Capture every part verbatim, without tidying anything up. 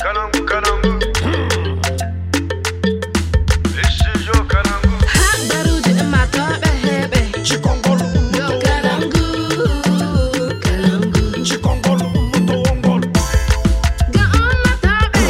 Kalangu, kalangu. Studio Kalangu. Habaruuji ummaatooɓe heɓe. Cikongol ummaatooɓe. Kalangu, kalangu. Cikongol ummaatooɓe. Ga ummaatooɓe.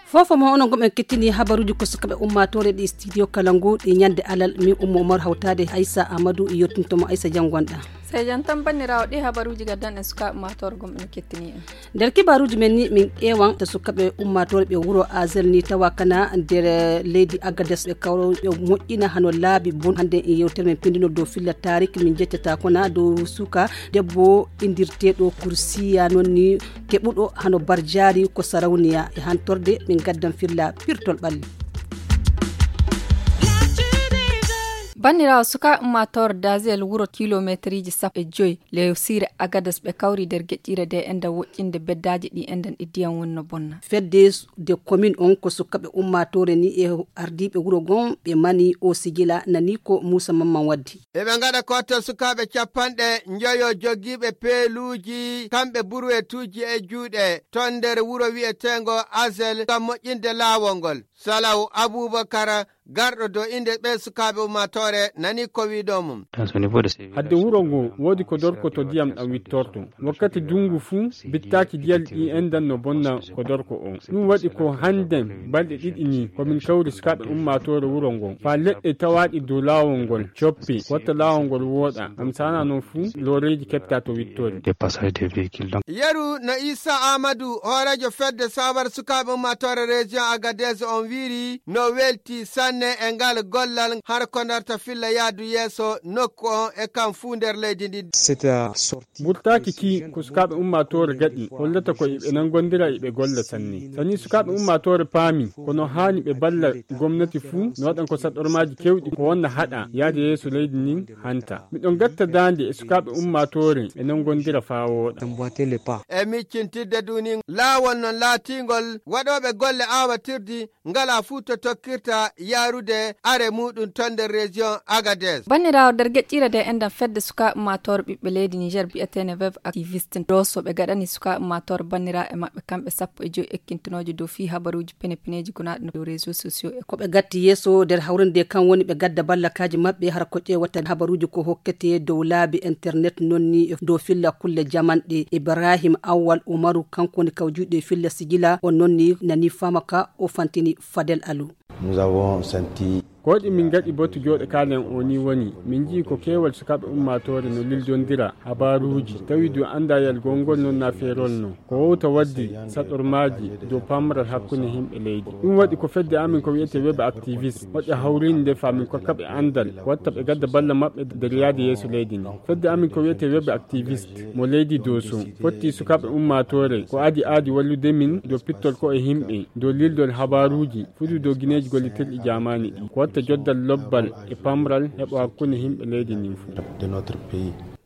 Fofo mo onon gomɓe kettini habaruuji ko sukaɓe ummaatoore ɗi studio kalangu ɗi ñande alal, min ummo umar hawtaade aysa amadou e yottintomo aysa janngonɗa. Sey jam tan banniraawo ɗi habaruuji gaddan en sukaaɓe ummaatoore gomɓe no kettini en. Nder kibaaruuji men ni min ƴeewan to sukaaɓe ummaatoore ɓe wuro azel ni tawa kana nder leydi agades ɓe kawro ɓe moƴƴina hano laabi bon hannde e yewtere men pindinol dow filla tarik min jeccata kona dow suka debbo indirteeɗo kursiya noon ni keɓuɗo hano barjaari ko sarawniya e hantorde min gaddan filla pirtol ɓalli. Banniraawo sukaaɓe ummaatoore dazel wuro kilomeeteriji sappo e joyi lewsiire agadas ɓe kawri nder geƴƴiire de enda woƴƴinde beddaaji ɗi endan ɗi ndiyam woni no bonna. Fedde de commune on ko sukaaɓe ummaatoore ni e ardiiɓe wuro gon ɓe mani o sijila nani ko muusa mamman waddi. Eɓe ngaɗa kottal sukaaɓe capanɗe njoyo jogiiɓe peeluuji kamɓe burwetuuji e juuɗe ton nder wuro wi'eteengo asel ngam moƴƴinde laawol ngol. Salaw abubakar garɗo do innde ɓee sukaaɓe ummaatoore nani ko wi'uɗo mum. Hadde wuro ngo woodi ko dorko to ndiyam ɗam wittorto. Wakkati dungu fuu bittaaki diyal ɗi endan no bonna ko dorko on. Ɗum waɗi ko hannden balɗe ɗiɗi ni ko min kawri sukaaɓe ummaatoore wuro ngo faa leɗɗe tawaaɗi dow laawol ngol coppi watta laawol ngol wooɗa. Am saana non fuu looreeji keɓta to wittori. Yeru no Isa Amadu hooreejo fedde sawar sukaaɓe ummaatoore région Agadez on wiiri no welti sanne e ngal gollal har ko narta filla yaadu yeeso nokku on e kam fuu nder leydi ndi. Burtaaki ki ko sukaaɓe ummaatoore gaɗi hollata ko iɓe nangondira iɓe golla sanne. Sani sukaaɓe ummaatoore paami kono haani ɓe balla gomnati fuu no waɗan ko saɗormaaji kewɗi ko wonna haɗa yaade yeeso leydi ndin hanta. Miɗo gatta daande e sukaaɓe ummaatoore ɓe nangondira faa wooɗa. E miccintidde duni laawol non laatingol waɗooɓe golle aawatirdi ngala fuu to tokkirta yaarude are muɗum ton nder région Agadez. Banniraawo nder geƴƴiire de enɗam fedde sukaaɓe ummaatoore ɓiɓɓe leydi Niger bi'eteene Web Activiste Doso ɓe gaɗani sukaaɓe ummaatoore banniraaɓe maɓɓe kamɓe sappo e joyi ekkintinooje dow fii habaruuji pene-peneeji gonaaɗi no dow réseaux sociaux e ko ɓe gatti yeeso nder hawrinde kan woni ɓe gadda ballakaaji maɓɓe hara ko ƴeewata habaruuji ko hokkete dow laabi internet non ni e dow filla kulle jamanɗe. Ibrahim Awwal Umaru kanko woni kawjuuɗo e filla sijila on non ni nani faama ka o fantini Fadel Alu. Nous avons senti Ko ɗi min ngaɗi batu jooɗo kaalen o ni woni min nji'i ko keewal sukaaɓe ummaatoore no lildondira habaaruuji tawi du anndayal gongol non na feerol no ko wowta waddi saɗormaaji dow pamral hakkunde himɓe leydi. Ɗum waɗi ko fedde amin ko wiyete web activiste moƴƴa hawrinde faa min kokka ɓe anndal watta ɓe gadda balla maɓɓe nder yaade yeeso leydi ndi. Fedde amin ko wiyete web activiste mo leydi doso fotti sukaaɓe ummaatoore ko adi aadi wallude min dow pittol ko e himɓe dow lildol habaaruuji fuɗi dow gineeji gollitirɗi jaamaani ɗi ko watta joddal lobbal e pamral heɓo hakkunde himɓe leydi ndin fuu.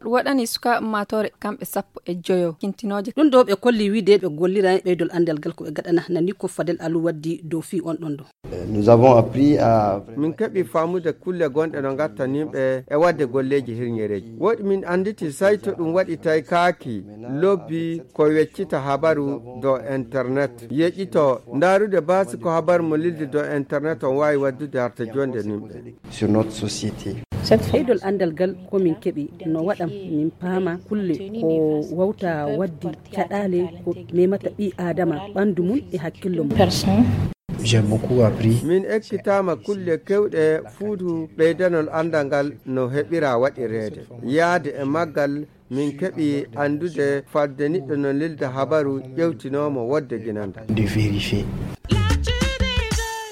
Ɗum waɗani sukaaɓe ummaatoore kamɓe sappo e joyo kintinooje. Ɗum ɗo ɓe kolli wiide ɓe gollira e ɓeydol anndal ngal ko ɓe gaɗana nani ko Fadel Alu waddi dow fii on ɗon ɗo. Nous avons appris à min keɓi faamude kulle gonɗe no ngatta nimɓe e waɗde golleeji hirñereeji woɗi min annditi sayto ɗum waɗi taykaaki lobbi ko weccita habaru dow internet yeƴƴito ndaarude baasi ko habaru mo lildi dow internet on waawi waddude harta jonde nimɓe. Sur notre société. Ɓeydol anndal ngal ko min keɓi no waɗam min paama kulle ko wawta waddi caɗaale ko memata ɓii aadama ɓanndu mum e hakkillo mum. J'ai beaucoup appris. Min ekkitaama kulle kewɗe fuutu ɓeydanol anndal ngal no heɓira waɗireede yaade e maggal min keɓi anndude fadde niɗɗo no lilda habaru ƴewtinoomo wodde ginanda. De vérifier.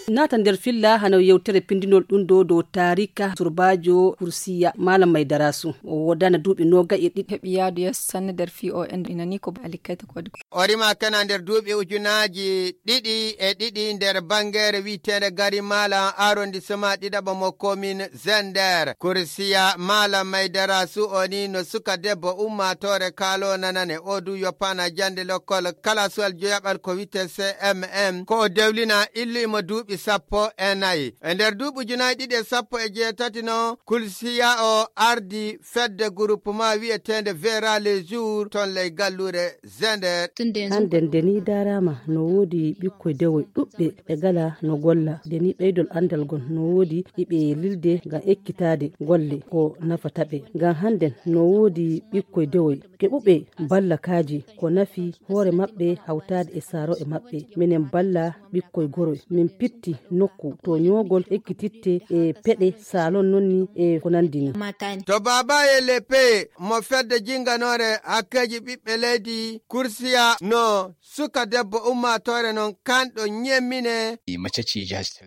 Naata nder filla hano yewtere pindinol ɗum ɗo dow taarika surbaajo kursiya malam maydarasu o wodana duuɓi noga e ɗiɗi heɓi yaadu yeeso sanne nder fi o en inani ko alikayta kodi ko o rima kana nder duuɓi ujunaaji ɗiɗi e ɗiɗi nder bangeere wi'eteende gari malam arrondissement ɗiɗaɓo mo commune zender kursiya malam maydarasu o ni no suka debbo ummaatoore kaalo nanane o du yoppana jannde lokkol kalasuwal joyaɓal ko wi'ete cmm ko o dewlina illu imo duuɓi sappo e nayi. E nder duuɓi ujunaaji ɗiɗi e sappo e jeetati noon, Kulsiya o ardi fedde groupement wiyeteende Vera les Jours toon ley galluure Zender. Hannden Deni daaraama no woodi ɓikkoy dewoy ɗuɓɓe ɓe gala no golla. Deni ɓeydol anndal gon no woodi iɓe lilde ngam ekkitaade golle ko nafata ɓe. Ngam hannden no woodi ɓikkoy dewoy keɓuɓe ballakaaji ko nafi hoore maɓɓe hawtaade e saaro'e maɓɓe. Minen balla ɓikkoy goroy. Min pitti nokku to ñoogol ekkititte e peɗe salon noon ni e ko nanndi ni. To Baba e Lepe mo fedde jinnganoore hakkeeji ɓiɓɓe leydi Kursiya no suka debbo ummaatoore noon kanɗo ñemmine.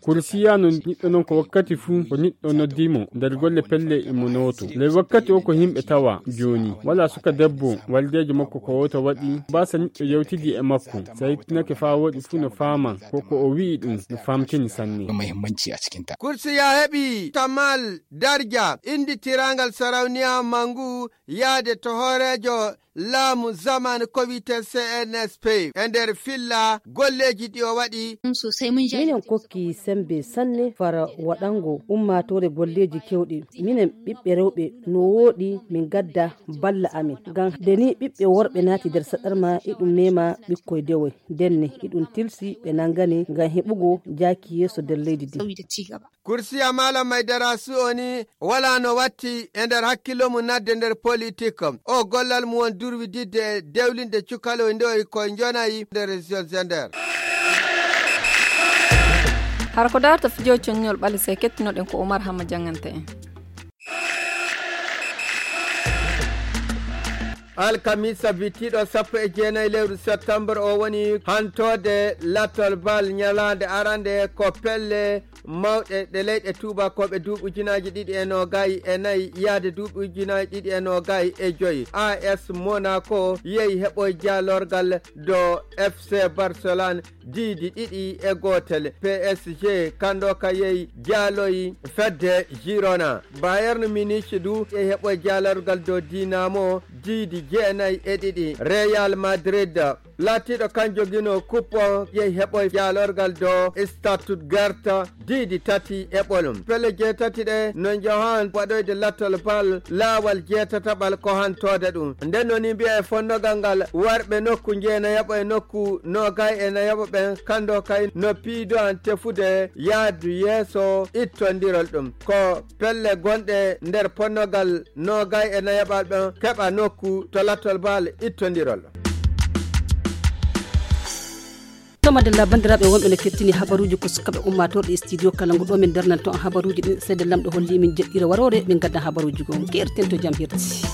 Kursiya no niɗɗo noon ko wakkati fuu ko niɗɗo noddi mo nder golle pelle imo nooto. Ley wakkati o ko yimɓe tawa jooni. Walaa suka debbo waldeejo makko ko wooto waɗi. Baasa niɗɗo yewtidi e makko. So a yettinake faa wooɗi fuu no faama ko ko o wi'i ɗum no famtini sanne. Kursiya heɓi Tamal Darja inndi tiraangal Sarauniya Mangu yaade to hooreejo laamu zamanu ko wiyetee C N S P e nder filla golleeji ɗi o waɗi. Minen kokki semmbe sanne fara waɗango ummaatoore golleeji keewɗi. Minen ɓiɓɓe rewɓe no wooɗi min ngadda balla amin. Ngam nde ni ɓiɓɓe worɓe naati nder saɗarma iɗum mema ɓikkoy dewoy. Ndenne iɗum tilsi ɓe nanngane ngam heɓugo jaaki yeeso nder leydi ndi. Kursiya Malam Maydara Su'oni walaa no watti e nder hakkillo mum nadde nder politik. O gollal mum won durwididde e dewlinde cukaloy ndewoy koye njonayi nder région Zender. Hara ko daarta fijo coññol ɓale se kettinoɗen ko Omar Hamma jannganta en. Alkamisa bittiiɗo sappo e jeenayi lewru septembre o woni hantoode lattol bal ñalaande arande ko pelle mawɗe ɗe leyɗe tuubakooɓe duuɓi ujunaaji ɗiɗi e noogay e nayi yaade duuɓi ujunaaji ɗiɗi e noogay e joyi. A S Monaco yehi heɓoy jaalorgal do F C Barcelone diidi ɗiɗi e gootel. P S G kanndo ka yehi jaaloyi fedde Girona. Bayern Munich du yehi heɓoy jaalorgal do Dinamo diidi jeenayi e ɗiɗi. Real Madrid laatiiɗo kan jogino coupe o yehi heɓoy jaalorgal do Stuttgart diidi tati e ɓolum. Pelle jeetati ɗe no njahan waɗoyde lattol bal laawal jeetataɓal ko hantoode ɗum. Nden woni mbiya e fonnogal ngal warɓe nokku njeena yaɓo e nokku noogay e nayaɓo ɓen kanndo kay no piido an tefude yaadu yeeso ittondirol ɗum. Ko pelle gonɗe nder ponnogal noogay e nayaɓal ɓen keɓa nokku to lattol bal ittondirol. Tomadella banndiraaɓe wonɓe no kettini habaruuji ko sukaɓe ummatorɗe e studio kala ngo ɗo min darnanto on habaruuji ɗin seede lamɗo holli min jeɗɗira waroore min gadda habaruuji goo keerten to jam hirti.